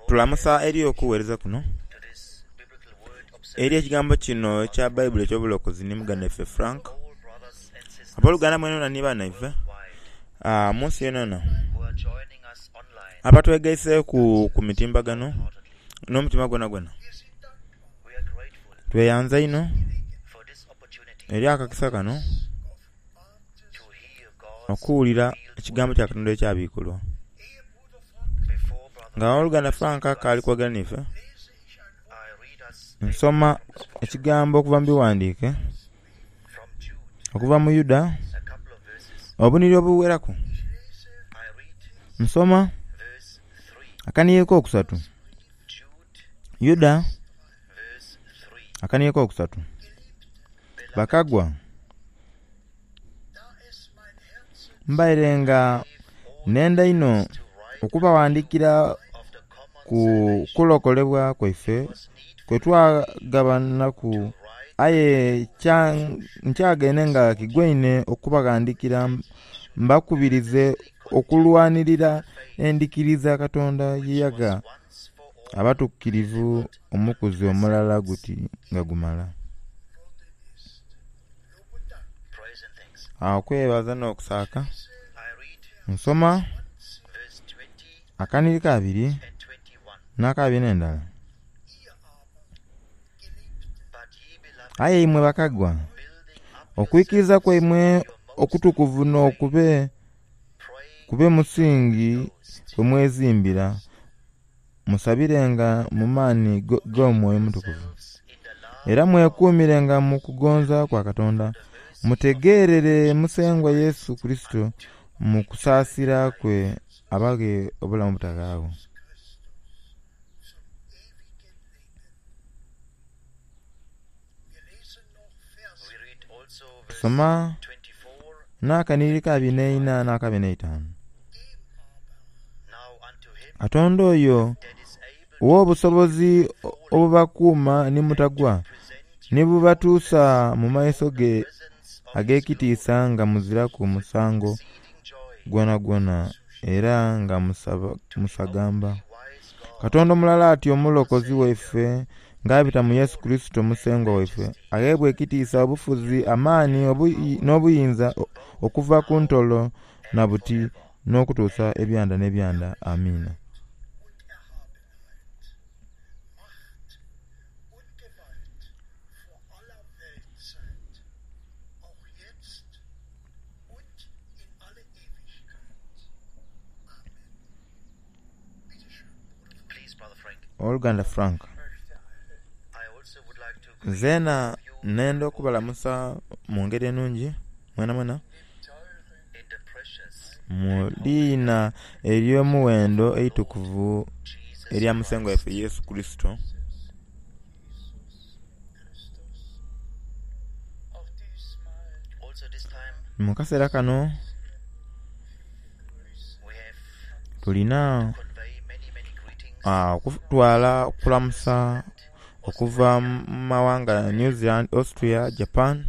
Tulamusa eri okuwereza kuno eri ekigambo kino ekya Baibuli eky'obulokozi ni muganda waife Frank. Aboluganda mwenamwena ni banaife munsi yonayona abatwegaiseku ku mitimbagano n'omutima gwonagwona, tweyanza inho eri akakisa kano okuwulira ekigambo kya Katonda ekyabikulwa. Nga owoluganda Frank akaali kwogera niife, nsoma ekigambo okuva mu bighandiike okuva mu Yuda obunhiliri obugheraku. Nsoma akanhiliri akokusatu, Yuda akanhiliri akokusatu, Bakagwa, mbaire nga nenda inho okubaghandikira ku kulokolebwa kwaife kwe twagabanaku aye nkyagaine nga kigwaine okubaghandikira mbakubirize okulwanirira endhikiriza Katonda ye yagha abatukirivu omukuzi omulala guti nga gumala. Okwebaza n'okusaaka, nsoma akanhiriri kabiri n'akabiri n'endala. Aye imwe bakagwa, okwikiriza kwaimwe okutukuvu n'okube kube musingi kwe mwezimbira, musabirenga mu maani g'Omwoyo Omutukuvu. Era mwekuumirenga mu kugonza kwa Katonda, mutegeerere Musengwa Yesu Kurisito mu kusaasira kwe abaghe obulamu obutaghaagho. Tusoma n'akanhiriri ka abiri n'eina n'akabiri n'eitaanu. Katonda oyo ow'obusobozi obubakuuma ni mutagwa, ni bubatuusa mu maiso ge ag'ekitiisa nga muziraku musango gwonagwona era nga musagamba. Katonda omulala atyo Omulokozi waife ng'abita mu Yesu Kurisito Musengwa waife, agheebwe ekitiisa, obufuzi, amaani n'obuyinza okuva ku ntolo na buti n'okutuusa ebyanda n'ebyanda. Amiina. Owoluganda Frank, zeena nenda okubalamusa mu ngeri enungi mwenamwena mu liina ery'omuwendo eitukuvu erya Musengwa waife Yesu Kurisito. Mu kaseera kano tulina okutwala okulamusa okuva mu mawanga New Zealand, Austria, Japan,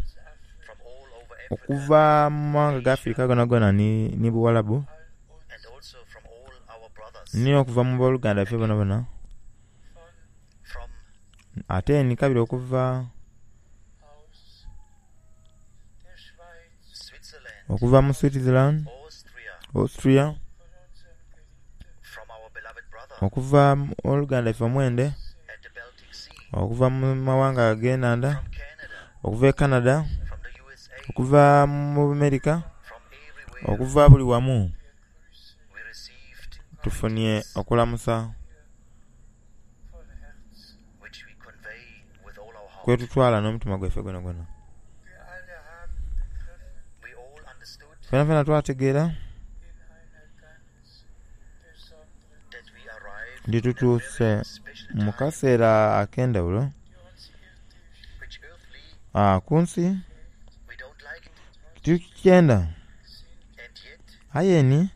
okuva mu mawanga ga Africa gonagona ni Buwalabu, ni okuva mu boluganda baife bonabona. Ate ni kabiri okuva okuva mu Switzerland, Austria, okuva mu oluganda lwaife omwende, okuva mu mawanga ag'enhandha, okuva e Canada, okuva mu America, okuva buli wamu tufunye okulamusa kwetutwala n'omutima gwaife gwonagwona. Fenafena twategeera nti tutuuse mu kaseera ak'endhaghulo ku nsi titukyenda aye ni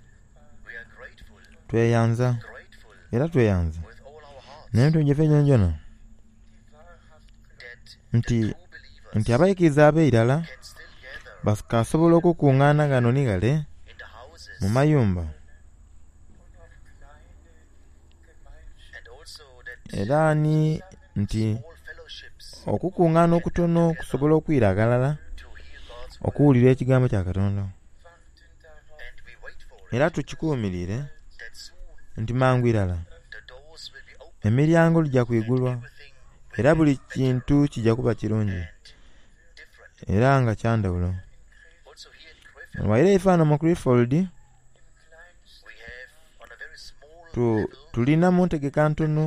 tweyanza era tweyanza n'emitima gyaife gyonagyona nti nti abaikiriza ab'eirala bakasobola okukungaana ghano ni ghale mu mayumba. Era ni nti okukungaana okutono kusobola okwira aghalala okuwulira ekigambo kya Katonda. Era tukikumiriire nti mangu irala emiryango gija kwigulwa era buli kintu kija kuba kirungi era nga kyandhaghulo. Ghaire ife ghano mu Clifford tulina mu ntegeka ntono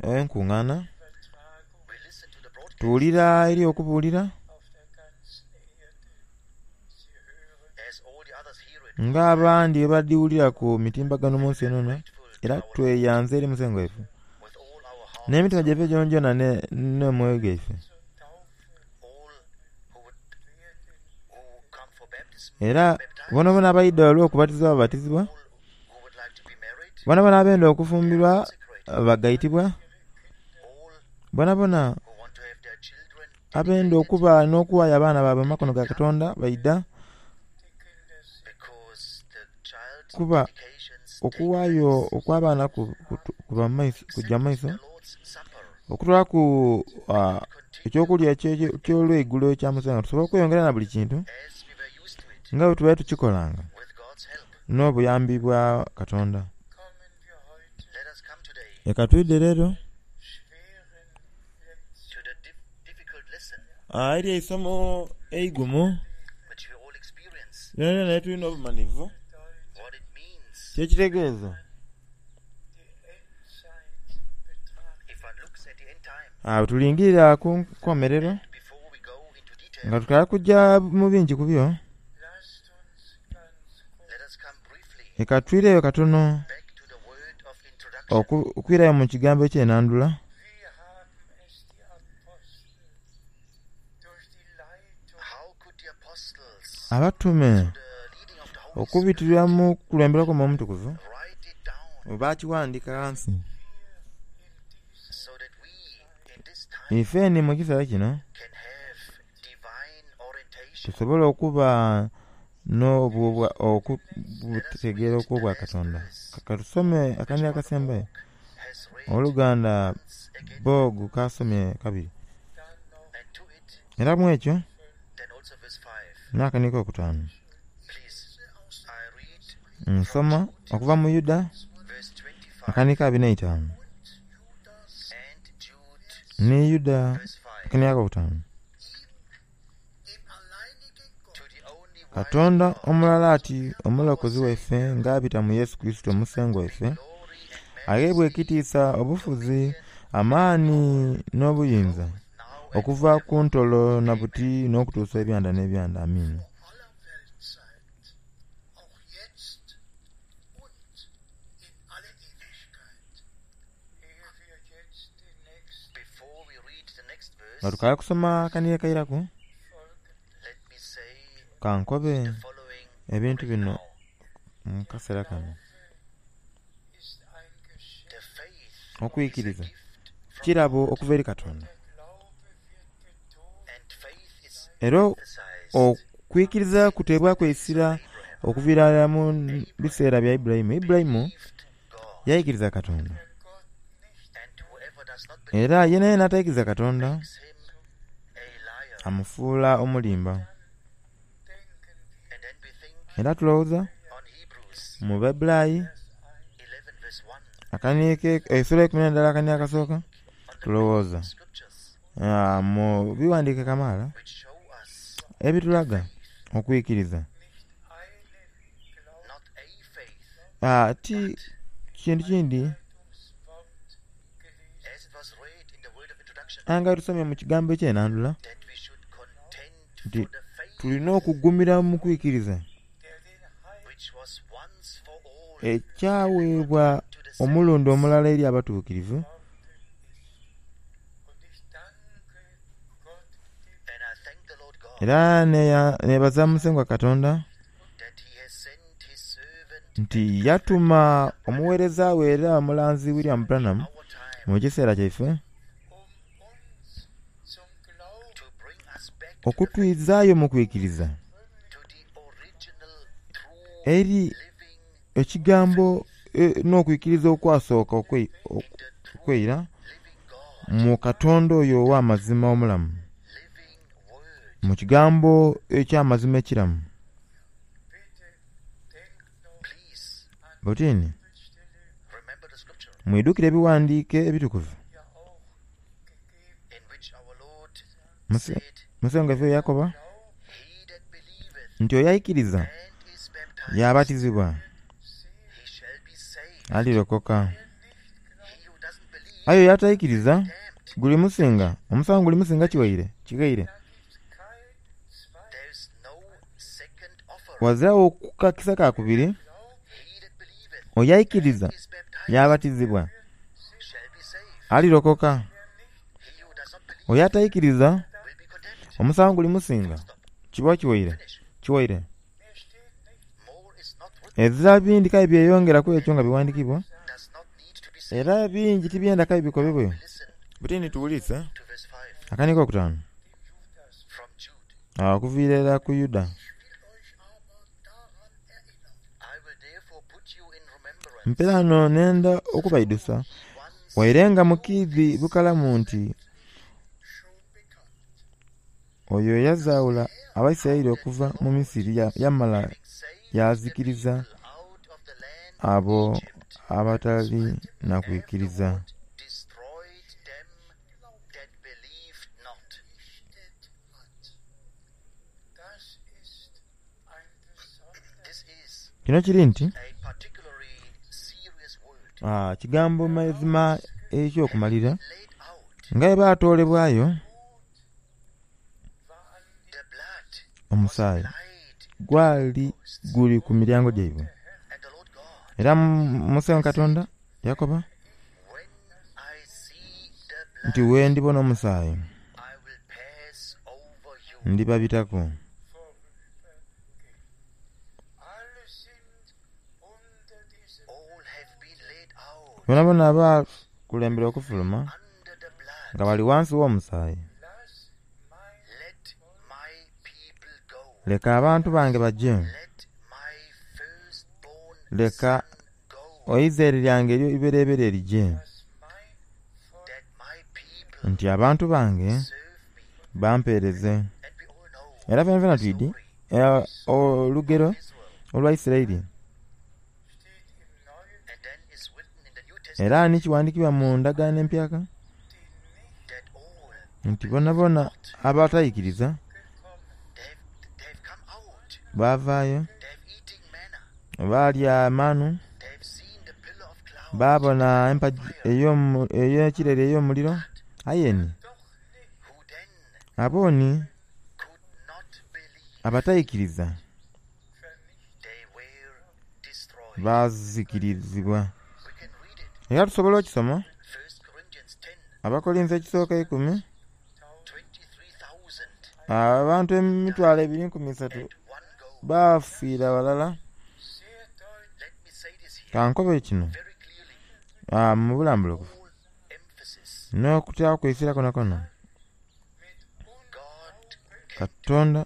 enkungana, tuwulira eri okubulira nga abandi bwebadhiwulira ku mitimbagano munsi yonayona era tweyanza eri Musengwa waife n'emitima gyaife gyonagyona n'omwoyo gwaife. Era bonabona abaidha olw'okubatizibwa babatizibwa, bonabona abenda okufumbirwa bagaitibwa, bonabona abenda okuba n'okuwayo abaana baibwe mu makono ga Katonda baidha kuba okuwayo okw'abaana kugya mu maiso okutolaku eky'okulya eky'olweigulo ekya Musengwa tusobole okweyongera na buli kintu nga bwe tubaire tukikolanga n'obuyambi bwa Katonda. Leka twidhe leero eri eisomo eigumu lyonalyona lyetulina obumanhivu kyekitegeeza. Bwetulingirira ku nkomerero nga tukaali kugya mu bingi ku byo, leka twireyo katono okwirayo mu kigambo eky'enandhula. Abatume okubitira mu kukulemberwa kw'Omwoyo Omutukuvu baakighandika ghansi. Ife ni mu kiseera kino tusobole okuba n'okutegeera okw'Obwakatonda. Ka tusome akanhiriri akasembayo owoluganda Borg k'asomye kabiri. Era mu ekyo n'akanhiriri akokutaanu nsoma okuva mu Yuda akanhiriri ka abiri n'eitaanu ni Yuda akanhiriri akokutaanu. Katonda omulala ati Omulokozi waife ng'abita mu Yesu Kurisito Musengwa waife, agheebwe ekitiisa, obufuzi, amaani n'obuyinza, okuva ku ntolo na buti n'okutuusa ebyanda n'ebyanda. Amiina. Nga tukaali kusoma akanhiriri akairaku, ka nkobe ebintu bino mu kaseera kano. Okwikiriza kirabo okuva eri Katonda, era okwikiriza kuteebwaku eisira okuviira irala mu biseera bya Ibulayimu. Ibulayimu yaikiriza Katonda, era yenayena ataikiriza Katonda amufuula omulimba. Era tulowooza mu Baibulayi esula eikumi n'endala akaniiro akasooka, tulowooza mu bighandiike kamaala ebitulaga okwikiriza. Ti kintu kindi aye nga tusomye mu kigambo eky'enandhula nti tulina okugumira mu kwikiriza ekyaweebwa omulundi omulala eri abatuukirivu. Era nebaza Musengwa Katonda nti yatuma omugheereza we era omulanzi William Branham mu kiseera kyaife okutwizaayo mu kwikiriza eri ekigambo. n'okwikiriza okwasooka okweira mu Katonda oyo ow'amazima omulamu, mu kigambo eky'amazima ekiramu. Butini mwidhukire ebiwandiike ebitukuvu Musengwa waife yakoba nti oyo aikiriza yaabatizibwa alirokoka, aye oyo ataikiriza gulimusinga, omusango gulimusinga kiwaire kighaire. Ghaziragho kakisa ka kubiri, oyo aikiriza yaabatizibwa alirokoka, oyo ataikiriza omusango gulimusinga kiba kiwaire kiwaire. Ezira bindi kale byeyongera ku ekyo nga bighandikibwa, era bingi tibyenda kale bikobebwe. Buti ni tuwulise akanigo akokutaanu okuviira irala ku Yuda. Mperaano nenda okubaidhusa, waire nga mukiidhi bukalamu nti oyo eyazaawula Abaisiraeli okuva mu Misiri yamala yaazikiriza abo abataali na kwikiriza. Kino kiri nti kigambo mazima eky'okumalira nga bwe baatoolebwayo omusaayi gwali guli ku miryango gyaibwe. Era Musengwa Katonda yakoba nti, Bwe ndibona omusaayi ndibabitaku. Boonaboona abaakulembera okufuluma nga bali ghansi gh'omusaayi. Leka abantu bange baje. Leka eizaire lyange ery'eibereberye lije. Nti abantu bange bampeereze. Era fenafena twidhi olugero olwa Isiraeli. Era ni kiwandikibwa mu ndagaano empyaka nti bonabona abataikiriza baavaayo baalya manu, baabona empagi ey'ekireri ey'omuliro aye ni abo ni abataikiriza baazikirizibwa. Era tusobola okisoma Abakolinso ekisooka eikumi, abantu emitwalo ebiri nkumi isatu baafiira ghalala. Ka nkobe kino mu bulambulukufu n'okutaaku eisira kwonakwona. Katonda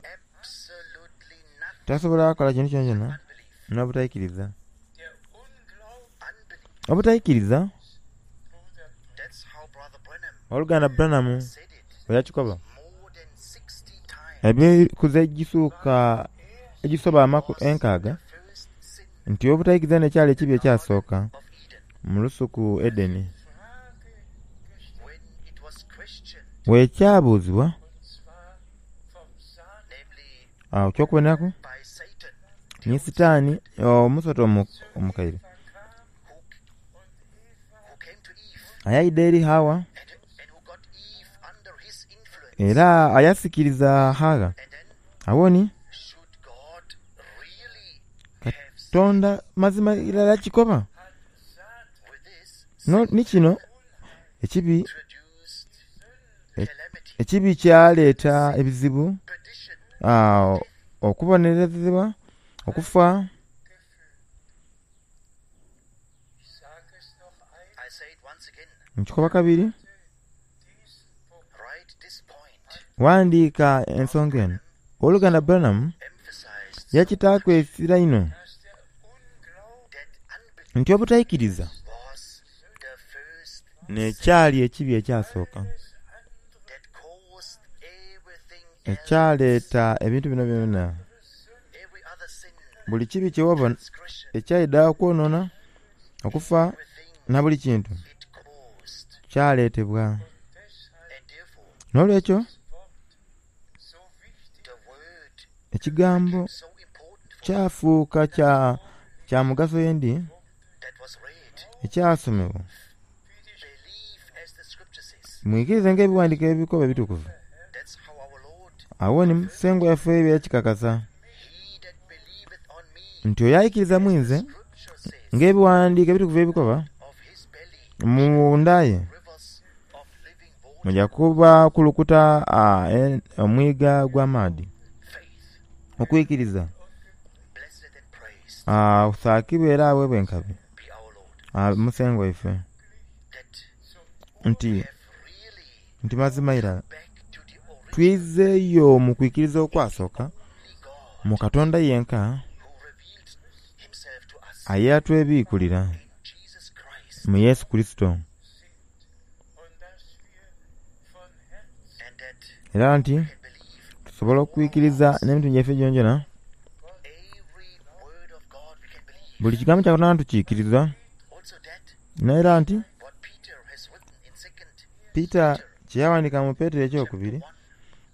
tasobola kukola kintu kyonakyona n'obutaikiriza. Obutaikiriza, Owoluganda Branham bwe yakikoba, emikuzi egisuuka egisoba enkaaga nti obutaikiriza n'ekyali ekibi ekyasooka mu lusuku Edeni. Bwekyabuuzibwa, agho eky'okuboneraku ni Sitaani omusota omukaire ayaidha eri Hawa era ayasikiriza Hawa. Agho ni Katonda mazima irala kikoba ni kino ekibi Ekibi kyaleeta ebizibu, okubonerezebwa, okufa. Nkikoba kabiri, ghandiika ensonga eno. Owoluganda Branham yakitaaku eisira inho Nti obutaikiriza n'ekyali ekibi ekyasooka ekyaleeta ebintu bino byona. Buli kibi kyewabona ekyaidha okwonona, okufa na buli kintu kyaleetebwa. N'olwekyo ekigambo kyafuuka kya mugaso yendi ekyasomebwa. Mwikirize nga ebiwandiiko ebikoba ebitukuvu. Agho ni Musengwa waife yakikakasa nti oyo aikiriza mu nze nga ebiwandiiko ebitukuvu ebikoba, mu nda ye muja kuba kulukuta omwiga gw'amaadhi. Okwikiriza asaakibwe era aweebwe enkabi Musengwa waife nti nti mazima irala twizeeyo mu kwikiriza okwasooka mu Katonda yenka eyatwebiikulira mu Yesu Kurisito. Era nti tusobola okwikiriza n'emitima gyaife gyonagyona, buli kigambo kya Katonda tukiikiriza. N'era nti Pita kye yawandiika mu Petero ekyokubiri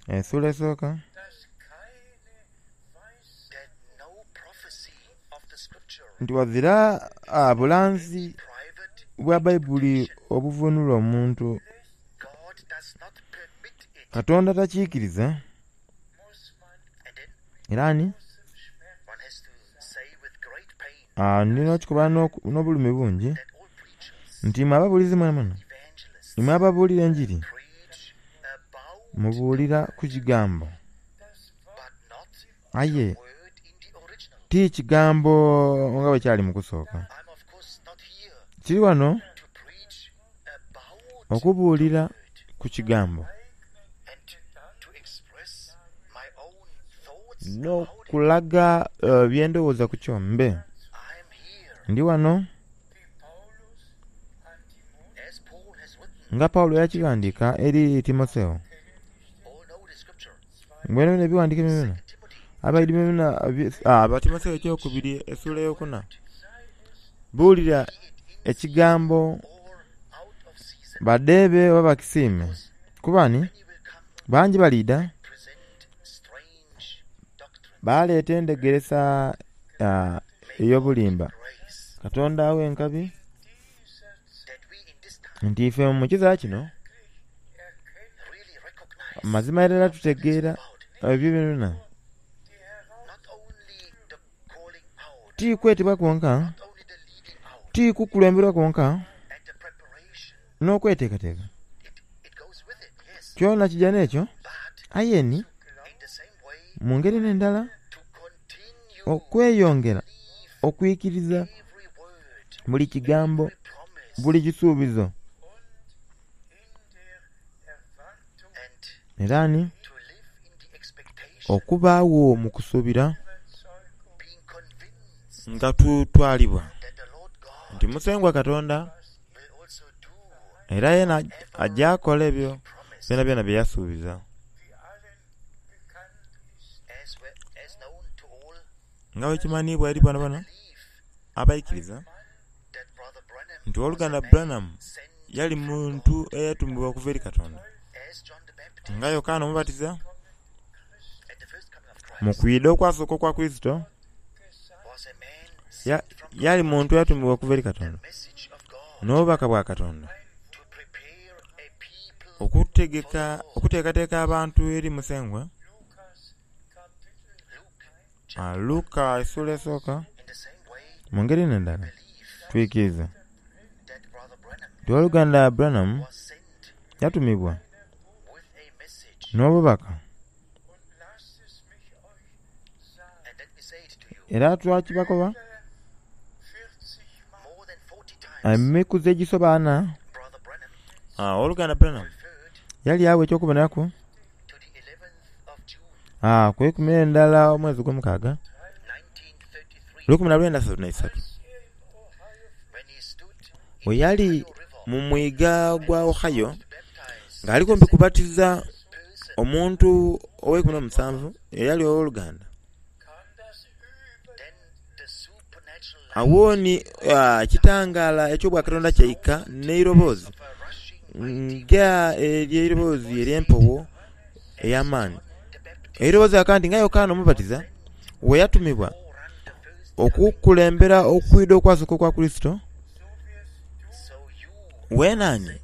esula esooka, nti ghazira bulanzi bwa Baibuli obuvunula omuntu. Katonda takiikiriza. Era ni ndina okikoba n'obulumi bungi nti imwe ababuulizi mwenamwena, imwe ababuulira enjiri, mubuulira ku kigambo aye ti kigambo nga bwe kyali mu kusooka. Tiri ghano okubuulira ku kigambo n'okulaga bye ndowooza ku kyo. Mbe ndi ghano nga Paulo yakighandiika eri Timotheo. Bwenebwene ebighandiiko byonabyona abaidhi byonabyona Timotheo ekyokubiri esula eyokuna, buulira ekigambo badheebe oba bakisiime kuba ni bangi baliidha baleeta endhegeresa ey'obulimba. Katonda aghe enkabi nti ife mu kiseera kino mazima irala tutegeera ebyo byonabyona. Ti kwetebwa kwonka, ti kukulemberwa kwonka, n'okweteekateeka, kyona kija n'ekyo. Aye ni mu ngeri n'endala okweyongera okwikiriza buli kigambo, buli kisuubizo. Era ni okubaagho mu kusuubira nga tutwalibwa nti Musengwa Katonda era yena aja kola ebyo byonabyona bye yasuubiza. Nga bwe kimanhiibwa eri boonaboona abaikiriza nti Owoluganda Branham yali muntu eyatumibwa okuva eri Katonda, nga Yokaana Omubatiza mu kwidha okwasooka okwa Kurisito, yali muntu eyatumibwa okuva eri Katonda n'obubaka bwa Katonda okutegeka okuteekateeka abantu eri Musengwa. Luka esula esooka, mu ngeri n'endala twikiriza nti Owoluganda Branham yatumibwa n'obubaka era twakibakoba emikuzi egisoba ana. Owoluganda Branham yali agho eky'okuboneraku ku ikumi n'endala omwezi ogwomukaaga, 1933. Bwe yali mu mwiga gwa Ohio nga ali kumpi kubatiza omuntu oweikumi n'omusanvu eyali ow'oluganda. Awo ni ekitangala eky'obwakatonda kyaika n'eiroboozi nga ery'eiroboozi ery'empewo ey'amaani. Eiroboozi lyakoba nti nga Yokaana Omubatiza bwe yatumibwa okukulembera okwidha okwasooka okwa Kurisito, weena ni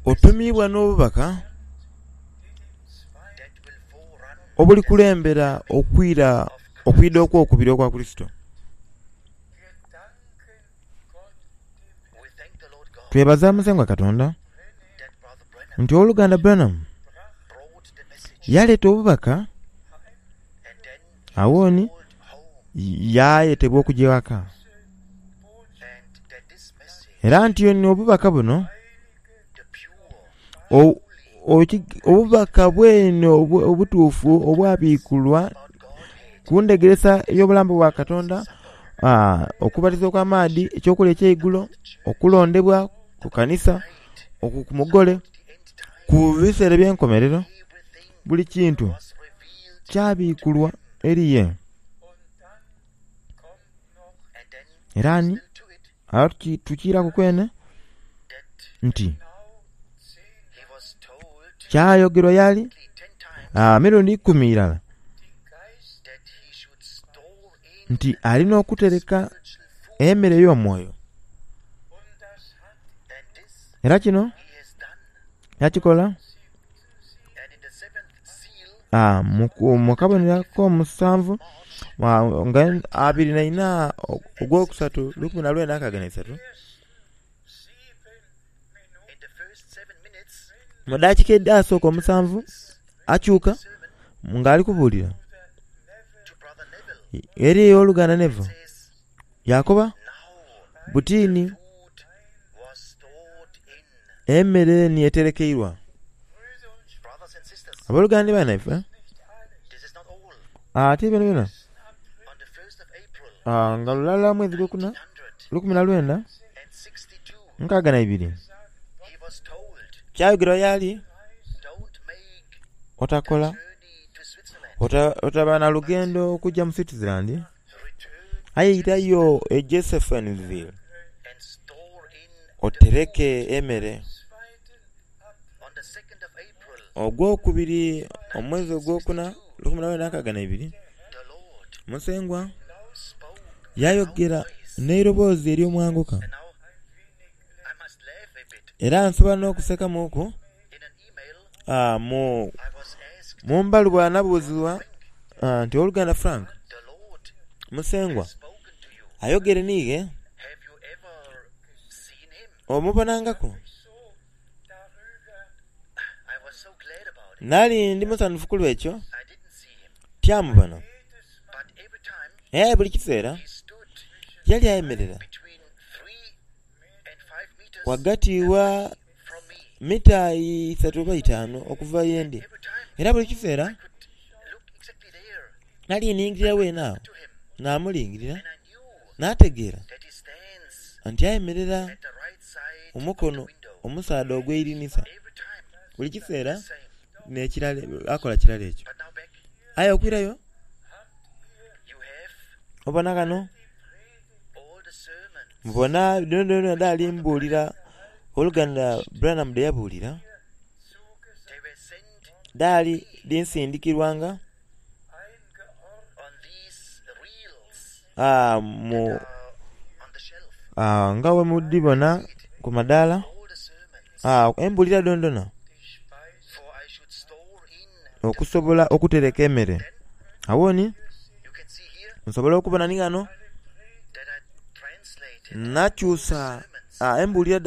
otumiibwa n'obubaka obulikulembera okwira okwidha okw'okubiri okwa Kurisito. Twebaza Musengwa Katonda nti ow'oluganda Branham yaleeta obubaka awo ni yayetebwa okugya ewaka. Era nti ni obubaka buno obubaka bwene obutuufu obwabikulwa ku ndhegeresa ey'obulamu bwa Katonda, okubatiza okw'amaadhi, eky'okulya eky'eigulo, okulondebwa ku kanisa, ku mugole, ku biseera eby'enkomerero, buli kintu kyabikulwa eri ye. Era ni agho tukiiraku kwene nti kyayogerwa y'ali emirundi ikumi irala nti alina okutereka emere ey'omwoyo. Era kino yakikola mu kabonero ak'omusanvu nga 24 ogwokusatu 1963. Mu dakiika edhasooka omusanvu akyuka nga ali kubuulira eri ow'oluganda Neville yakoba buti ni emmere ni eterekeirwa. Abooluganda ni banaife ate byonabyona nga lulala mwezi gwokuna 1962 kyayogerwa y'ali otakola otaba na lugendo okujja mu Switzerland aye irayo e Josephineville otereke emere. Ogwokubiri omwezi ogwokuna 1962 Musengwa yayogera n'eiroboozi ery'omwanguka era nsobola n'okusekamuuku mu mbaluwa nabuuzibwa nti ow'oluganda Frank, Musengwa ayogere niighe omubonangaku? Nali ndi musanhufu ku lw'ekyo tyamubona. Aye buli kiseera yali ayemerera ghagati wa mita isatu oba itaanu okuva yendi. Era buli kiseera nali ningilira weene agho namulingirira nategeera nti ayemerera ku mukono omusaadha ogw'eirinisa. Buli kiseera akola kirala ekyo. Aye okwirayo obona ghano mubona dhoonadhoona dhali mbuulira ow'oluganda Branham dhe yabuulira, dhaali dhinsindikirwanga nga bwe mudhibona ku madaala, embuulira dhoonadhoona okusobola okutereka emere. Agho ni nsobola okubona ni ghano nakyusa embuulira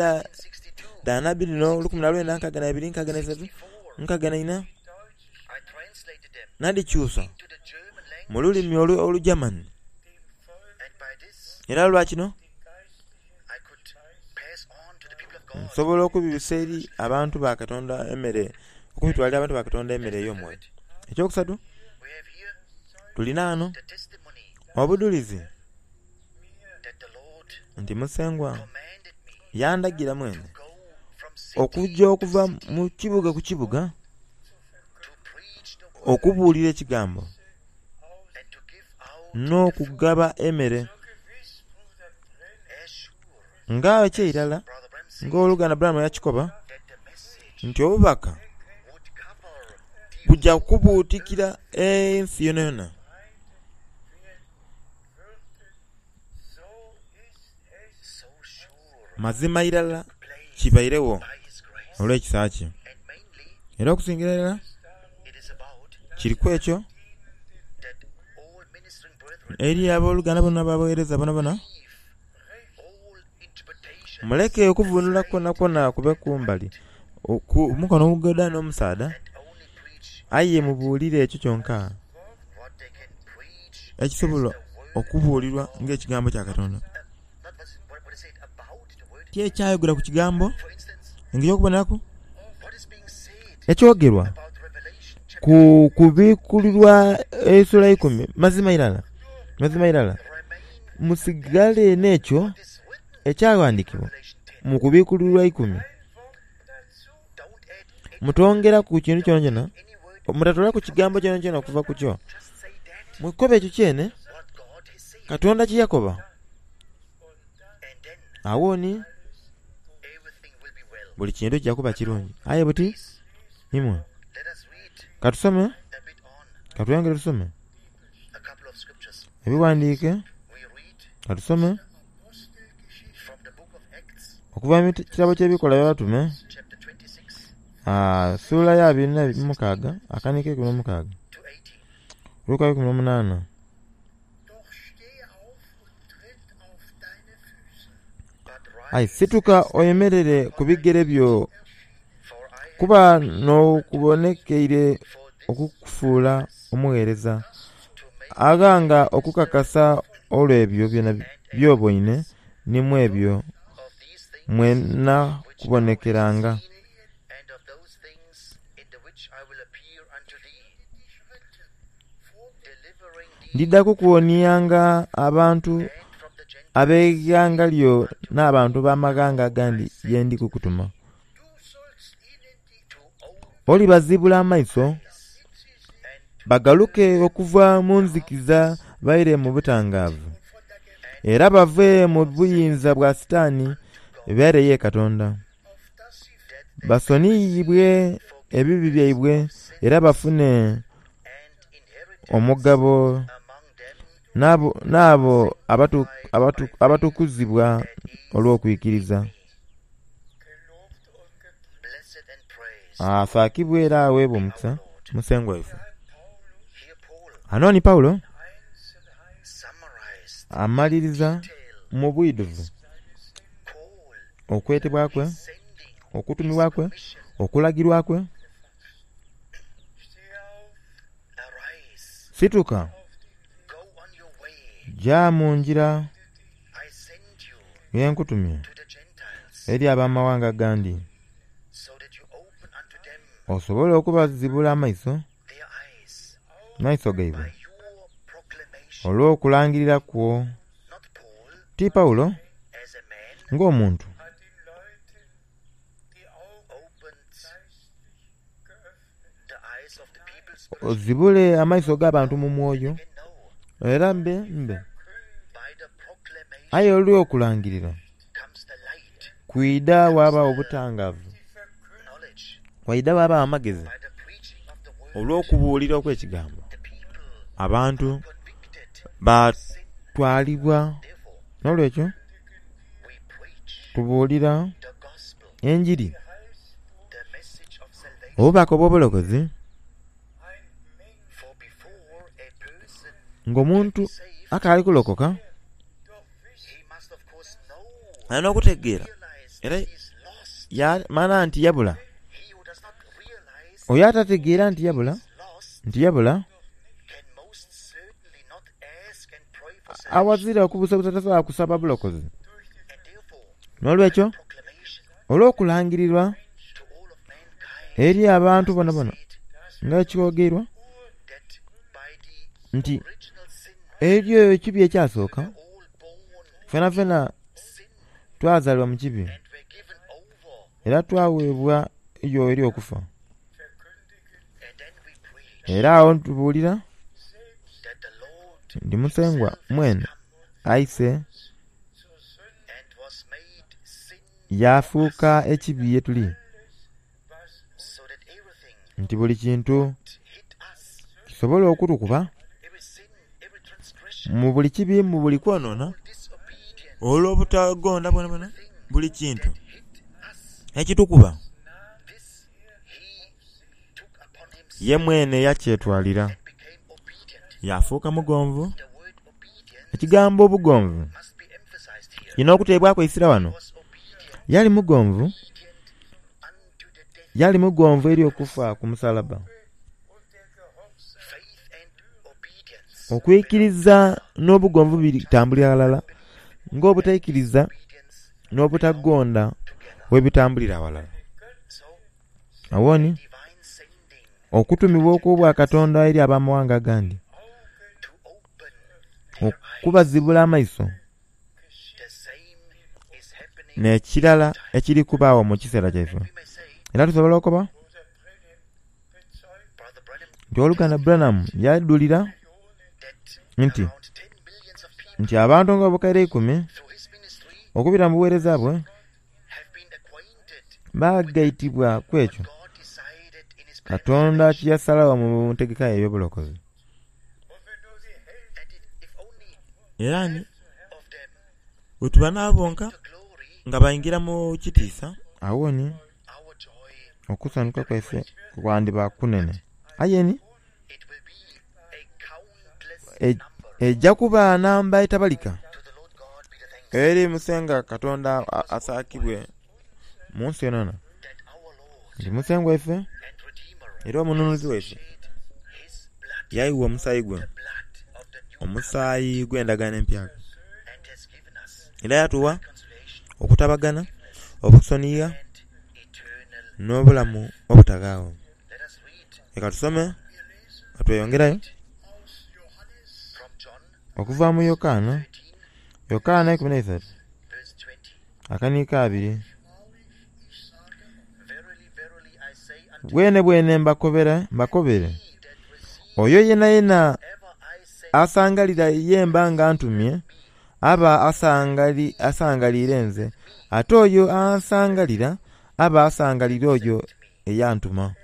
dha nabbi dhino 1962, 63, 64 nadhikyusa mu lulimi Olugerman. Era lwa kino nsobola okubibisa eri abantu ba Katonda emere, okubitwalira abantu ba Katonda emere ey'omwoyo. Ekyokusatu, tulina ghano obudhulizi nti Musengwa Yandagira mwene okujja okuva mu kibuga ku kibuga okubuulira ekigambo n'okugaba emere. Nga ekyeirala nga owoluganda Branham yakikoba nti obubaka bujja kubuutikira ensi yonayona. Mazima irala kibairegho olw'ekisa kye. Era okusingira irala kiri ku ekyo eri aboluganda bona abaghereza bonabona, muleke okuvunula kwonakwona kube kumbali, ku mukono omugoodha n'omusaadha, aye mubuulire ekyo kyonka ekisobola okubuulirwa ng'ekigambo kya Katonda. Ti ekyayogera ku kigambo, engeri y'okuboneraku ekyogerwa ku kubikulirwa esula eikumi, mazima irala, mazima irala, musigale n'ekyo ekyaghandikibwa mu kubikulirwa eikumi. Mutongeraku kintu kyonakyona, mutatoolaku kigambo kyonakyona okuva ku kyo. Mukobe ekyo kyene Katonda kye yakoba. Agho ni buli kintu kija kuba kirungi. Aye buti imwe katusome, katweyongere tusome ebighandiike, katusome okuva mu kitabo ky'Ebikolwa by'Abatume suula ya abiri na mukaaga akaniiko eikumi n'omukaaga oluka lwa 18. Aye situka oyemerere ku bigere byo, kuba n'okubonekeire okukufuula omugheereza, aghanga okukakasa olw'ebyo by'oboine ni mu ebyo mwe nnaakubonekeranga. Ndidha kukuwonianga abantu ab'eighanga lyo n'abantu ab'amaghanga agandi ye ndi kukutuma. Olibazibula amaiso, bagaluke okuva mu nzikiiza baire mu butangaavu, era bave mu buyinza bwa Sitaani baire ye Katonda. Basoniyibwe ebibi byaibwe era bafune omugabo n'abo abatukuzibwa olw'okwikiriza. Asaakibwe era aweebwe omukisa Musengwa waife. Ghano ni Paulo amaliriza mu bwidhuvu okwetebwa kwe, okutumibwa kwe, okulagirwa kwe. Situka, ja mu ngira ye nkutumye eri abamaghanga agandi, osobole okubazibula amaiso, maiso gaibwe, olw'okulangirira kwo. Ti Paulo ng'omuntu. Ozibule amaiso g'abantu mu mwoyo, era mbe mbe. Aye olw'okulangirira kwidha ghabagho obutangaavu, waidha ghabagho amagezi olw'okubuulira okw'ekigambo. Abantu baatwalibwa. N'olwekyo tubuulira enjiri, obubaka obw'obulokozi, ng'omuntu akaali kulokoka alina okutegeera era yaamanha nti yabula. Oyo atategeera nti yabula, nti yabula, Awazira okubuusabuusa tasobola kusaba bulokozi. N'olwekyo, olw'okulangirirwa eri abantu bonabona nga kyogeirwa nti eriyo ekibi ekyasooka, fenafena. Twazaalibwa mu kibi era twaweebwa yo eri okufa. Era agho tubuulira nti Musengwa mwene aise yaafuuka ekibi ye tuli, nti buli kintu kisobole okutukuba mu buli kibi, mu buli kwonoona, olw'obutagonda bwonabwona, buli kintu ekitukuba ye mwene yakyetwalira, yaafuuka mugonvu. Ekigambo obugonvu kirina okuteebwaku eisira wano. Yali mugonvu, yali mugonvu eri okufa ku musalaba. Okwikiriza n'obugonvu bitambulira ghalala, ng'obutaikiriza n'obutagonda bwe bitambulira ghalala. Agho ni, okutumibwa okw'Obwakatonda eri abamaghanga agandi, okubazibula amaiso, n'ekirala ekiri kubaagho mu kiseera kyaife. Era tusobola okukoba nti Owoluganda Branham yadhulira nti nti abantu nga obukaire eikumi okubita mu buweereza bwe baagaitibwa ku ekyo Katonda kye yasalagho mu ntegeka ye ey'obulokozi. Era ni bwetuba n'abo bonka nga baingira mu kitiisa, agho ni okusanhuka kwaife kwandiba kunene. Aye ni eja kuba namba etabalika eri Musengwa Katonda asaakibwe mu nsi yonayona. Nti Musengwa waife era Omununuzi waife yaigha omusaayi gwe, omusaayi gw'endagaano empyaka, era yatugha okutabagana, okusonigha, n'obulamu obutaghaagho. Leka tusome nga tweyongerayo okuva mu Yokaana, Yokaana 13 akaniiko abiri. Bwenebwene mbakobera mbakobere, oyo yenayena asangalira ye mba nga ntumye, aba asangali asangaliire nze, ate oyo ansangalira aba asangaliire oyo eyantuma.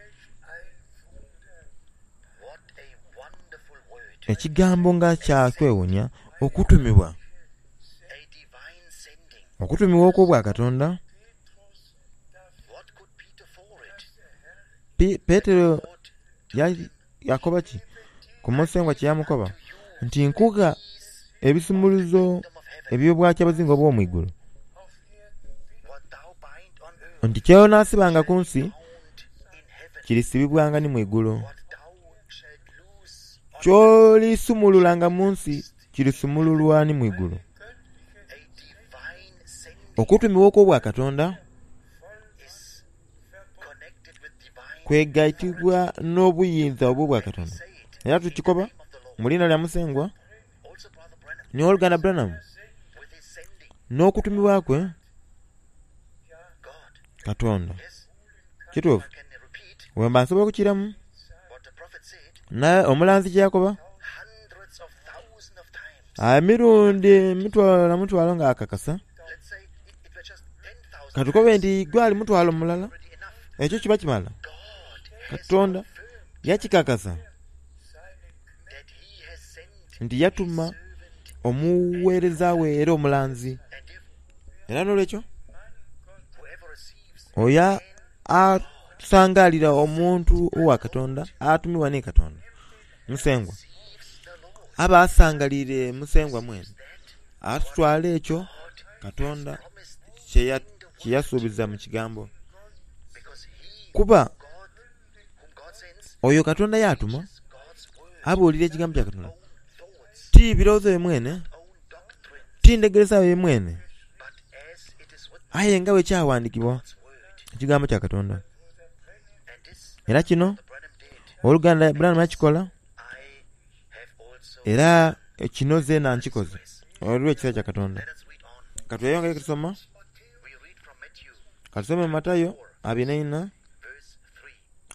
Ekigambo nga kya kwewuunia, okutumibwa! Okutumibwa okw'Obwakatonda. Petero yakoba ki ku Musengwa kye yamukoba? Nti nkugha ebisumuluzo eby'Obwakyabazinga obw'omu igulu. Nti ky'onaasibanga ku nsi kirisibibwanga ni mu igulu. Ky'olisumululanga mu nsi kirisumululwa ni mu igulu. Okutumibwa okw'Obwakatonda kwegaitibwa n'obuyinza obw'Obwakatonda. Era tukikoba mu liina lya Musengwa ni Owoluganda Branham n'okutumibwa kwe Katonda. Kituufu. Bwemba nsobola okukiiramu, omulanzi kye yakoba emirundi emitwalo na mutwalo nga akakasa, katukobe nti gwali mutwalo mulala, ekyo kiba kimala. Katonda yakikakasa nti yatuma omuweereza we era omulanzi. Era n'olwekyo oyo asangaalira omuntu owa Katonda atumibwa ni Katonda, Musengwa, aba asangaliire Musengwa mwene. Atwala ekyo Katonda kye yasuubiza mu kigambo. Kuba oyo Katonda y'atuma abuulira ekigambo kya Katonda, ti birowoozo bye mwene, ti ndhegeresa ye mwene, aye nga bwe kyawandikibwa ekigambo kya Katonda. Era kino owoluganda Branham yakikola, era kino zeena nkikoze olw'ekisa kya Katonda. Ka tweyongere tusoma. Katusome Matayo 24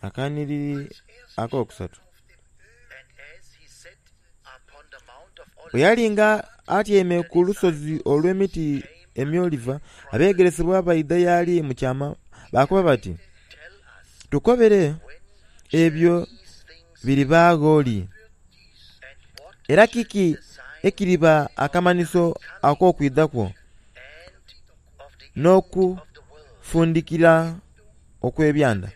akanhiriri akokusatu. Bwe yali nga atyaime ku lusozi olw'emiti emyoliva, abeegeresebwa baidha y'ali mu kyama baakoba bati, Tukobere ebyo biribaagho li? Era kiki ekiriba akamanhiso ak'okwidha kwo n'okufundikira okw'ebyanda?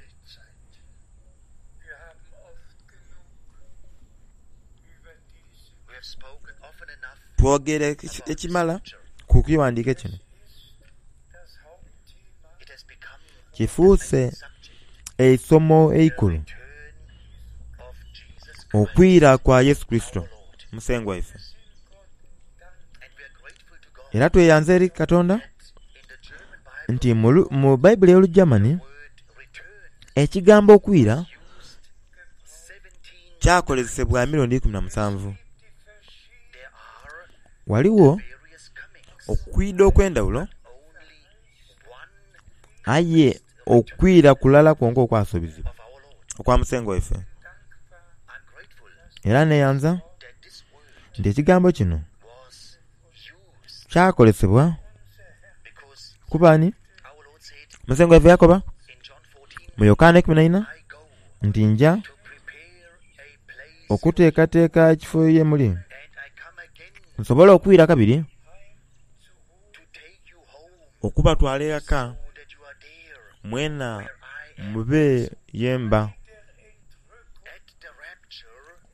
Twogere ekimala ku kighandike kino. Kifuuse eisomo eikulu okwira kwa Yesu Kurisito Musengwa waife. Era tweyanza eri Katonda nti mu Baibuli ey'Olugermany ekigambo okwira kyakozesebwa emirundi 17. Ghaligho okwidha okw'endhaghulo aye okwira kulala kwonka okwasubizibwa okwa Musengwa waife. Era neyanza nti ekigambo kino kyakozesebwa kuba ani? Musengwa waife yakoba mu Yokaana 14 nti nja okuteekateeka ekifo ye muli nsobole okwira kabiri okubatwala eghaka mwena mube ye mba.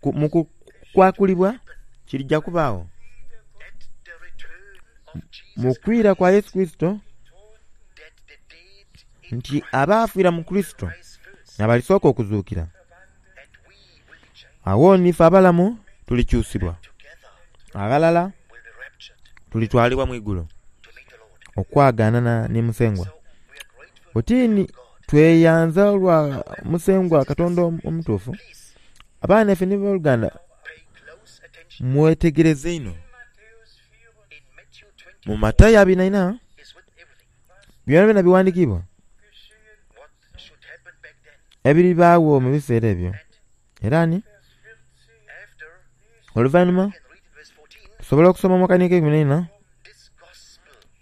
Mu kukwakulibwa kirija kubaagho mu kwira kwa Yesu Kurisito nti abaafiira mu Kurisito n'abalisooka okuzuukira. Agho ni ife abalamu tulikyusibwa aghalala tulitwalibwa mu igulu okwagaanana ni Musengwa. Oti ni tweyanza olwa Musengwa Katonda omutuufu. Abaana ife ni boluganda mwetegereze inho. Mu Matayo 24 byonabyona biwandikiibwa ebiribaagho mu biseera ebyo. Era ni oluvainhuma tusobola okusoma mu Kanika 14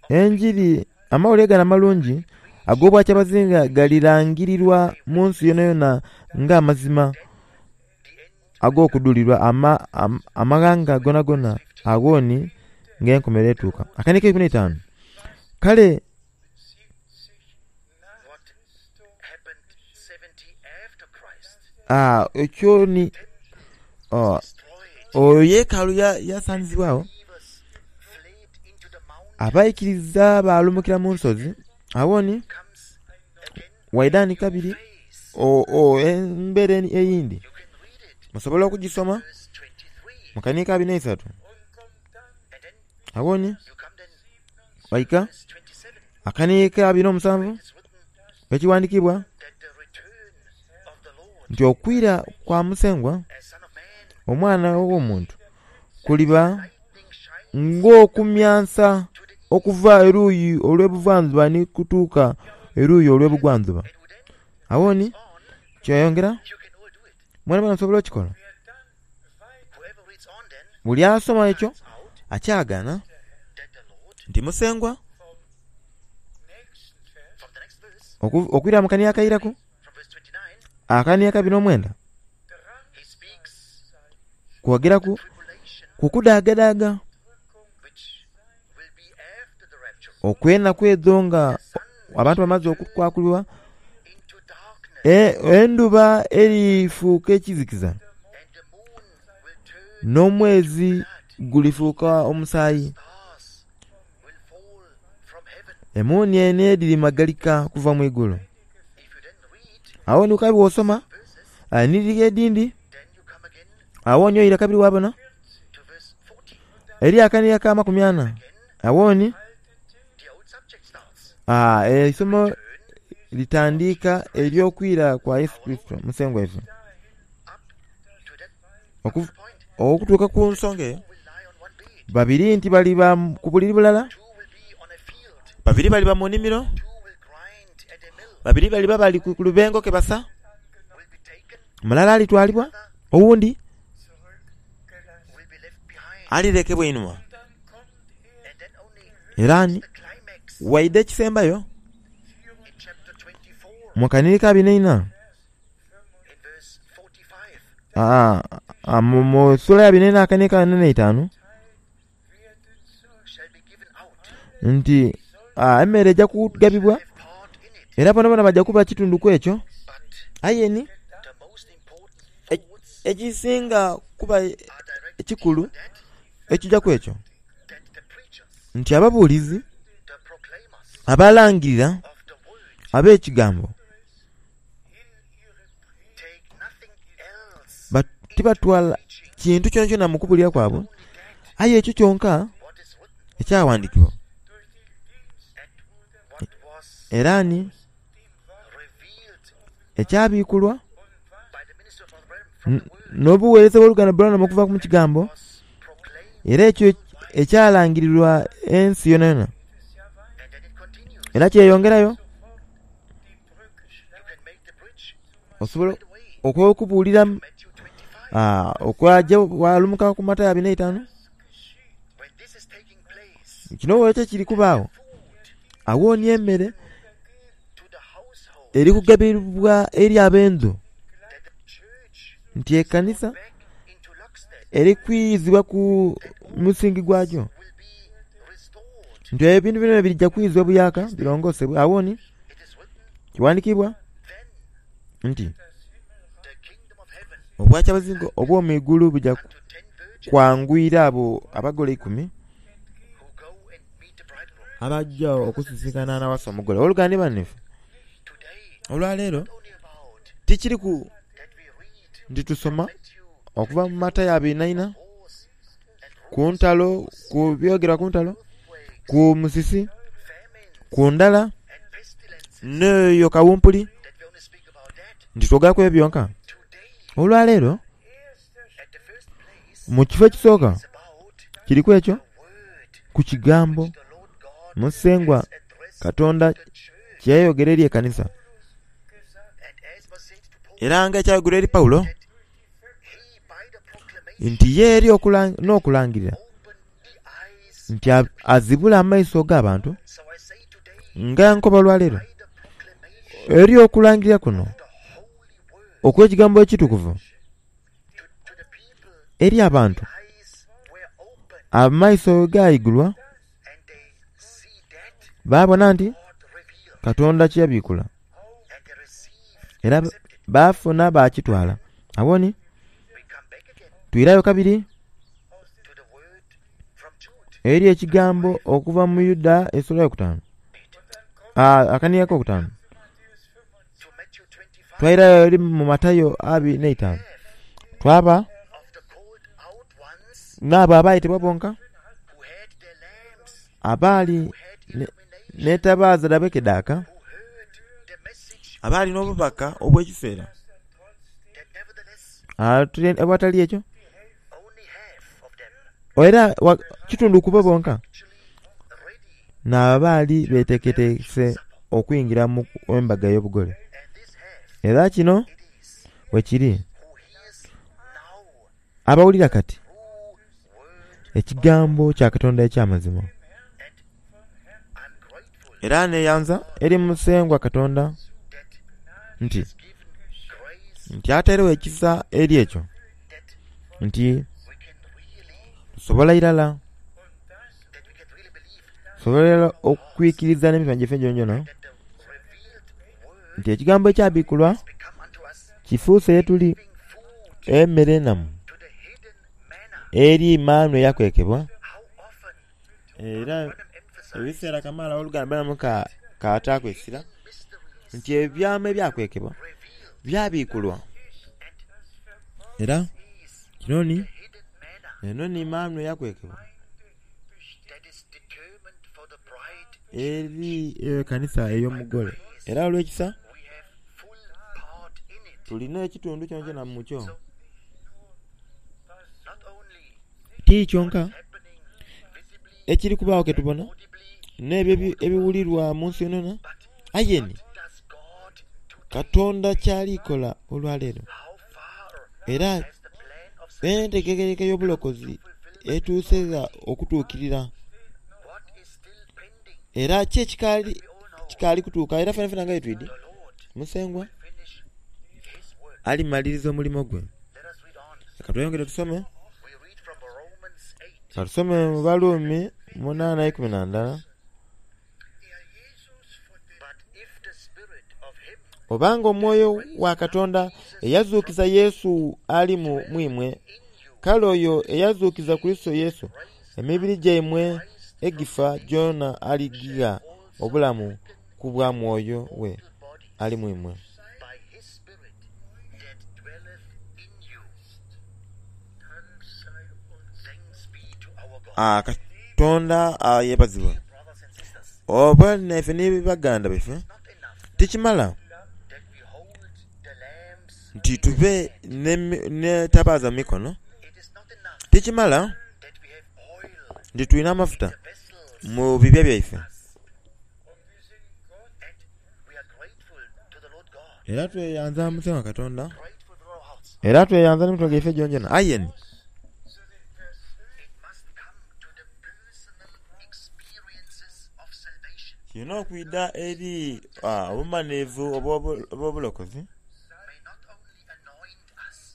enjiri amawulire gano amalungi ag'obwakyabazinga galirangirirwa mu nsi yonayona nga amazima ag'okudhulirwa amaghanga gonagona agho ni ng'enkomerero etuuka. Akanika 15 Kale ekyo ni oyo yeekaalu yasanizibwagho, abaikiriza baalumukira mu nsozi. Agho ni waidha ni kabiri embera eyindi musobola okugisoma mu kanika 23. Agho ni waika akanika 27 ekighandikibwa nti okwira kwa Musengwa Omwana ow'Omuntu kuliba ng'okumyansa okuva eruuyi olw'ebuvandhuba ni kutuuka eruuyi olw'ebugwandhuba. Agho ni kyeyongera mwenamwena musobola okukikola. Buli asoma ekyo akyagaana nti Musengwa okwira mu kania akairaku akania 29 kwogeraku ku kudaagadaaga okw'enaku edho nga abantu bamaze okukwakulibwa, endhuba erifuuka ekizikiza n'omwezi gulifuuka omusaayi. Emuunienhe dhirimagalika okuva mu igulu. Agho ni kabiri bw'osoma enhiriri edhindhi, agho ni oira kabiri waabona eri akaniya aka 40. Agho ni eisomo litandika ery'okwira kwa Yesu Kurisito Musengwa waife. Okutuuka ku nsonga eyo, babiri nti baliba ku buliri bulala, babiri baliba mu nimiro. Babiri baliba bali ku lubengo ke basa, mulala alitwalibwa, owundi alirekebwa einhuma. Era ni waidha ekisembayo mu kanhiriri ka 24, mu sula ya 24 akanhiriri ka 45 nti emere eja kugabibwa era bonabona baja kuba kitundu ku ekyo. Aye ni ekisinga kuba ekikulu ekija ku ekyo nti ababuulizi abalangirira ab'ekigambo tibatwala kintu kyonakyona mu kubulira kwabwe, aye ekyo kyonka ekyawandikibwa era ni ekyabikulwa n'obuweereza bw'oluganda Branham okuva mu kigambo, era ekyo ekyalangirirwa ensi yonayona. Era kyeyongerayo. Osobola okubuulira okwaja walumuka ku Matayo 25. Kino ekyo kiri kubaagho, awo ni emmere eri kugabibwa eri ab'endhu, nti ekanisa eri kwizibwa ku musingi gwagyo, nti ebintu bino birija kwizibwa buyaka birongosebwe. Awo ni kiwandikibwa nti obwakyabazinga obw'omwigulu buja kwanguyira abo abagole 10 abajja okusisinkana anawasa omugole. Oluganda banifu, olwaleero tikiri ku nti tusoma okuva mu Matayo 24 ku ntalo, ku byogerwa ku ntalo, ku musisi, ku ndala, n'eyo kawumpuli, nti twogeraku ebyo byonka. Olwaleero mu kifo ekisooka kiriku ekyo ku kigambo Musengwa Katonda kyeyayogera eri ekanisa, era nga ekyayogera eri Paulo nti ye eri n'okulangirira nti azibula amaiso g'abantu. Nga nkoba olwaleero eri okulangirira kuno okw'ekigambo ekitukuvu eri abantu, amaiso gaigulwa baabona nti Katonda kyeyabikula, era baafuna baakitwala. Awo ni twirayo kabiri eri ekigambo okuva mu Yuda esula yokutaanu, akanhiriri akokutaanu. Twairayo eri mu Matayo 25, twaba n'abo abayetebwa bonka abaali n'etabaaza dhabwe kedhaaka, abaali n'obubaka obw'ekiseera awatali ekyo, era kitundu kubo bonka n'abaali beteeketeekese okwingira mu embaga ey'obugole. Era kino bwe kiri, abawulira kati ekigambo kya Katonda eky'amazima. Era neyanza eri Musengwa Katonda nti atairegho ekisa eri ekyo, nti tusobola irala okwikiriza n'emitima gyaife gyonagyona nti ekigambo ekyabikulwa kifuuse ye tuli emmere enamu eri maanu eyakwekebwa. Era ebiseera kamaala oluganda Branham kaataaku essira nti ebyama ebyakwekebwa byabikulwa. Era kino ni eno ni maanu eyakwekebwa eri ekanisa ey'omugole. Era olw'ekisa tulina ekitundu kyonakyona mu kyo. Ti kyonka ekiri kubaagho ke tubona n'ebyo ebiwulirwa mu nsi yonayona, aye ni Katonda kyalikola olwaleero era enteekateeka ey'obulokozi etuuse gha okutuukirira era ki ekikaali kikaali kutuuka era fenafena nga bwetwidi Musengwa alimaliriza omulimo gwe. Leka tweyongere tusome. Ka tusome mu Balumi 8:11. Obanga omwoyo wa Katonda eyazuukiza Yesu ali mu imwe, kale oyo eyazuukiza Kurisito Yesu, emibiri gyaimwe egifa gyona aligigha obulamu ku bwa Mwoyo we ali mu imwe. Katonda yebazibwe. Oba naife ni baganda baife, tikimala nti tube n'etabaaza mu mikono, tikimala nti tulina amafuta mu bibya byaife. Era tweyanza Musengwa Katonda, era tweyanza n'emitima gyaife gyonagyona. Aye ni kirina okwidha eri obumanhivu obw'obulokozi.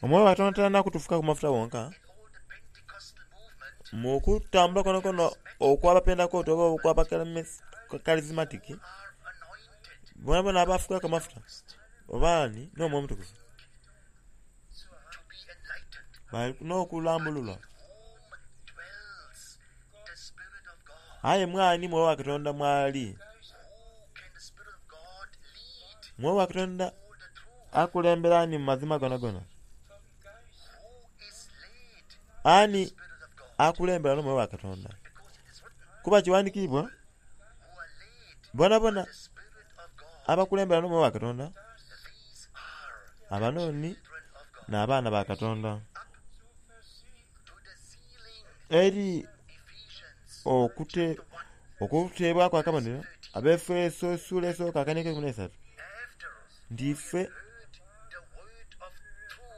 Omwoyo wa Katonda talina kutufukaku mafuta wonka mu kutambula kwonakwona okw'Abapentekote oba okw'Abakalizimatiki, boonaboona abaafukibwaku amafuta oba ni n'Omwoyo Omutukuvu bali n'okulambululwa. Aye mwani Mwoyo wa Katonda mwali? Mwoyo wa Katonda akulembera ani mu mazima gonagona? Ani akulembera n'Omwoyo wa Katonda? Kuba kiwandikiibwa, bonabona abakulembera n'Omwoyo wa Katonda abanoni n'abaana ba Katonda. Eri okuteebwaku akabonero Abaefeso esula esooka akaniiko eikumi n'eisatu nti ife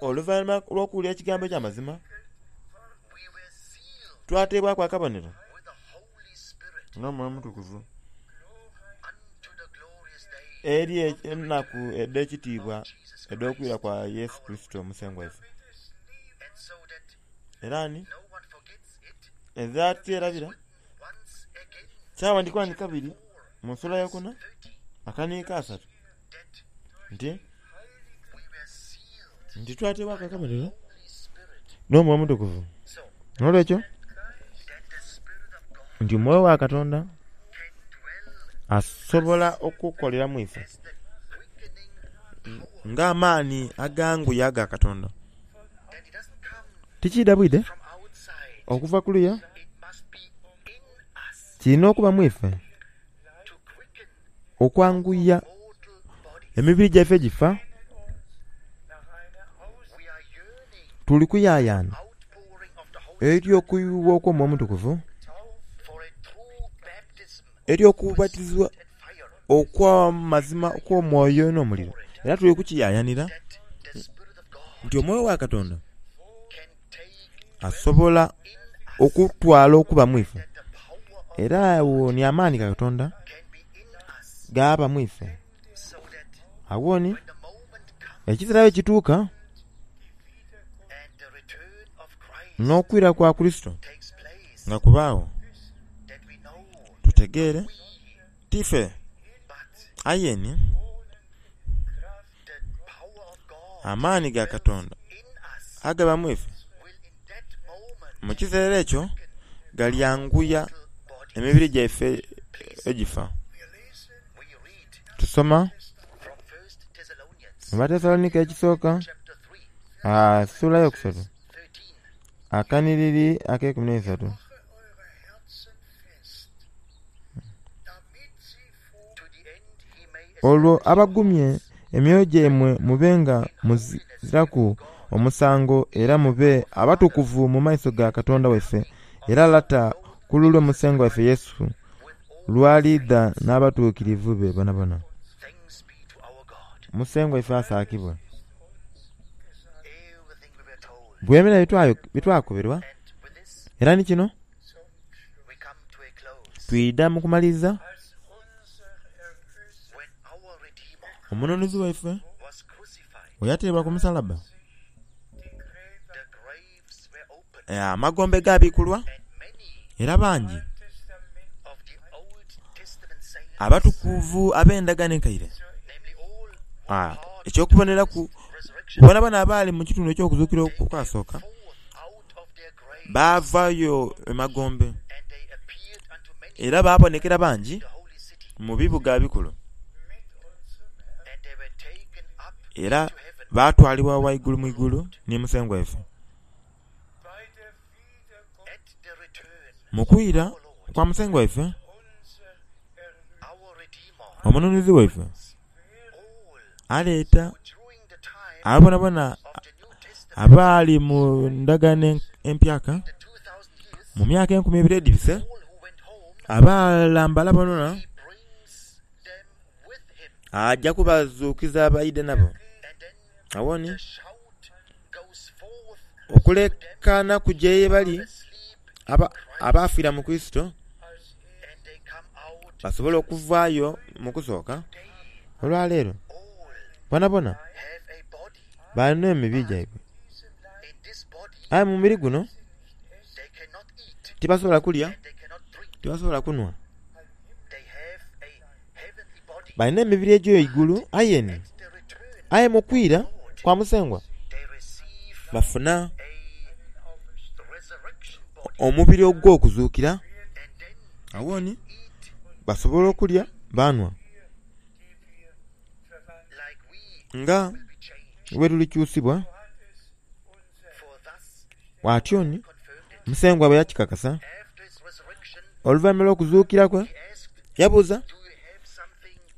oluvainhuma lw'okuwulira ekigambo eky'amazima twateebwaku akabonero n'Omwoyo Omutukuvu eri enaku edh'ekitiibwa edh'okwira kwa Yesu Kurisito Musengwa waife. Era ni edha tyerabira kyawandikibwa ni kabiri mu nsula eyokuna akaniiko asatu nti nti twateebwaku akabonero n'Omwoyo Omutukuvu. N'olwekyo nti Omwoyo wa Katonda asobola okukolera mu ife ng'amaani aganguya aga Katonda. Tikiidha bwidhe okuva kuluya, kirina okuba mu ife okwanguya emibiri gyaife egifa. Tuli kuyayaana eri okuyuwa okw'Omwoyo Omutukuvu, eri okubatizibwa okw'amazima okw'omwoyo n'omuliro. Era tuli kukiyayanira nti Omwoyo wa Katonda asobola okutwala okuba mu ife, era agho ni amaani ga Katonda gaaba mu ife. Agho ni ekiseera bwe kituuka n'okwira kwa Kurisito nga kubaagho, tutegeere ti ife aye ni amaani ga Katonda agaba mu ife, mu kiseera ekyo galyanguya emibiri gyaife egifa. Tusoma mu Batesalonika ekisooka sula eyokusatu akanhiriri akeikumi n'eisatu. Olwo abagumye emyoyo gyaimwe mube nga muziraku omusango era mube abatukuvu mu maiso ga Katonda waife era Lata ku lulwe Musengwa waife Yesu lw'aliidha n'abatuukirivu be boonaboona. Musengwa ife asaakibwe. Bwemera byetwakoberwa era ni kino twidha mu kumaliriza. Omununuzi waife bwe yateebwa ku musalaba, amagombe gaabikulwa era bangi abatukuvu ab'endagaano enkaire eky'okuboneraku bonabona abaali mu kitundu eky'okuzuukira okwasooka baavayo e magombe era baabonekera bangi mu bibuga ebikulu era baatwalibwa ghaigulu mu igulu ni Musengwa waife. Mu kwira kwa Musengwa waife, Omununuzi waife aleeta abo bonabona abaali mu ndagaano empyaka mu myaka 2000 edhibise, abaalambala bonabona aja kubazuukiza baidhe nabo. Agho ni okulekaana kuja ye bali abaafiira mu Kurisito basobole okuvaayo mu kusooka. Olwaleero bonabona balina emibiri gyaibwe, aye mu mubiri guno tibasobola kulya, tibasobola kunhwa. Balina emibiri egy'eigulu aye ni aye mu kwira kwa Musengwa bafuna omubiri ogw'okuzuukira. Agho ni basobola okulya baanhwa nga bwe tulikyusibwa. Atyo ni Musengwa bwe yakikakasa oluvainhuma lw'okuzuukira kwe, yabuuza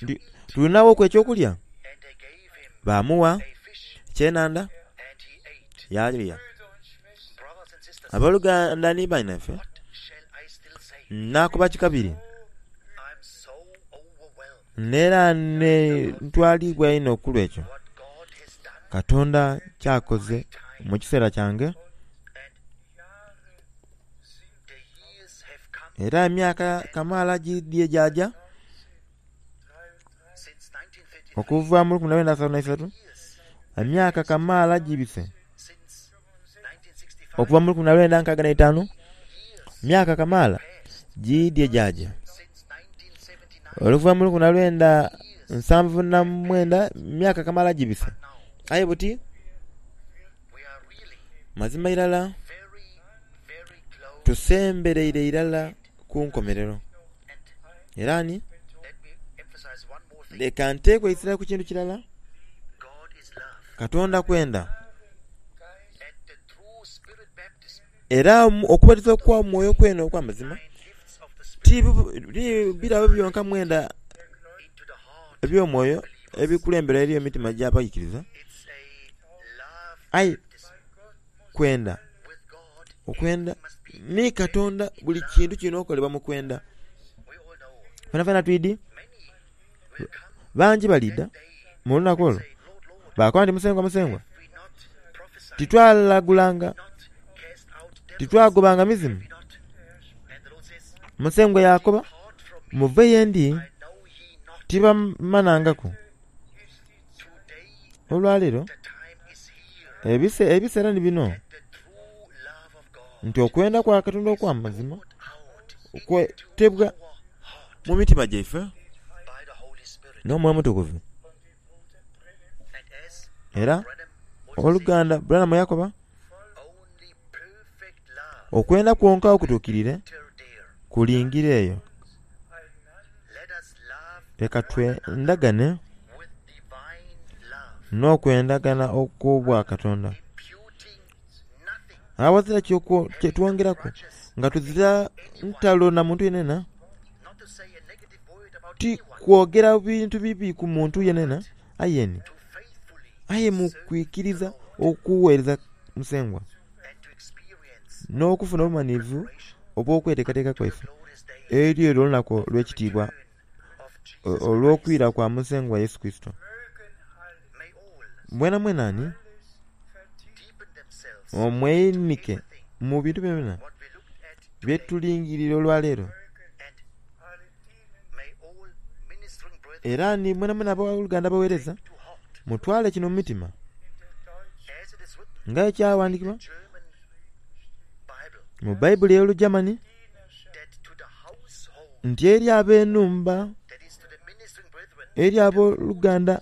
nti, Tulinaghoku eky'okulya? Baamugha ekyenhandha yaalya. Aboluganda ni bainaife, naakoba ki kabiri? N'era ntwaliibwa inho ku lw'ekyo Katonda ky'akoze mu kiseera kyange. Era emyaka kamaala giidhye gyaja okuva mu 1933, emyaka kamaala gibise okuva mu 1965, emyaka kamaala giidhye gyaja oluva mu 1979, emyaka kamaala gibise. Aye buti mazima irala tusembereire irala ku nkomerero. Era ni leka nteeku eisira ku kintu kirala, Katonda kwenda. Era okubatiza okwa mwoyo kwene okw'amazima ti birabo byonka mwenda eby'omwoyo ebikulembera eri emitima gy'abaikiriza, aye kwenda okwenda ni Katonda buli kintu kirina okolebwa mu kwenda. Fenafena twidhi bangi baliidha mu lunaku olwo baakoba nti, Musengwa, Musengwa, titwalagulanga, titwagobanga mizimu? Musengwa yaakoba, Muve ye ndi, tibamanhangaku. Olwaleero ebiseera ni bino nti okwenda kwa Katonda okw'amazima kwetebwa mu mitima gyaife n'Omwoyo Omutukuvu. Era owoluganda Branham yakoba, Okwenda kwonka okutuukiriire kulingira eyo. Leka twendagane n'okwendagana okw'obwakatonda. Aghazira kye twongeraku nga tuzira ntalo na muntu yenayena, ti kwogera bintu bibi ku muntu yenayena, aye ni aye mu kwikiriza okuweereza Musengwa n'okufuna obumanhirivu obw'okweteekateeka kwaife eri olwo olunaku olw'ekitiibwa olw'okwira kwa Musengwa Yesu Kurisito. Mwenamwena ni mweinhike mu bintu byonabyona bye tulingiriire olwaleero. Era ni mwenamwena aboluganda abaweereza, mutwale kino mu mitima nga ekyaghandiikibwa mu Baibuli ey'Olugermany nti eri ab'enhumba, eri aboluganda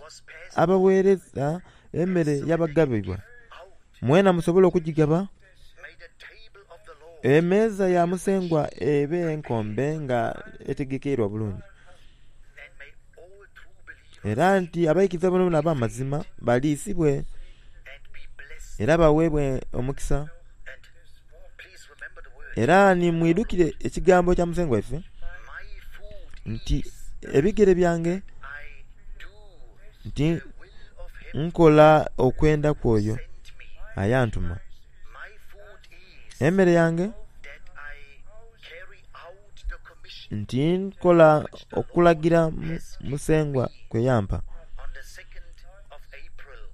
abaweereza emere yabagabibwa, mwena musobole okugigaba. Emeeza ya Musengwa ebe enkombe nga etegekeirwa bulungi. Era nti abaikiriza boonaboona ab'amazima baliisibwe era baweebwe omukisa. Era ni mwidhukire ekigambo kya Musengwa waife nti ebigere byange nti nkola okwenda kw'oyo ayantuma. Emere yange nti nkola okulagira Musengwa kwe yampa.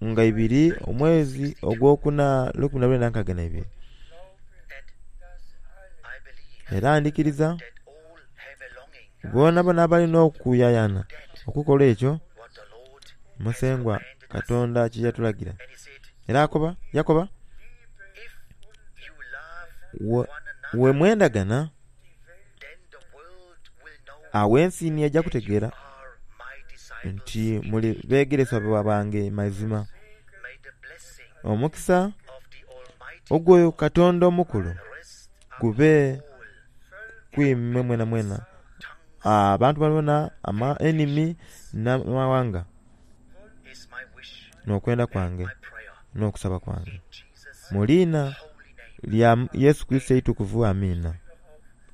Nga ibiri omwezi ogwokuna 1962. Era ndhikiriza bonabona abalina okuyayana okukola ekyo Musengwa Katonda kye yatulagira. Era akoba, yakoba, We mwendagana, agho ensi ni eja kutegeera nti muli beegeresebwa bange mazima. Omukisa ogw'oyo Katonda omukulu gube ku imwe mwenamwena, abantu boonaboona, enimi n'amawanga. N'okwenda kwange n'okusaba kwange. Mu liina lya Yesu Kurisito eitukuvu. Amiina.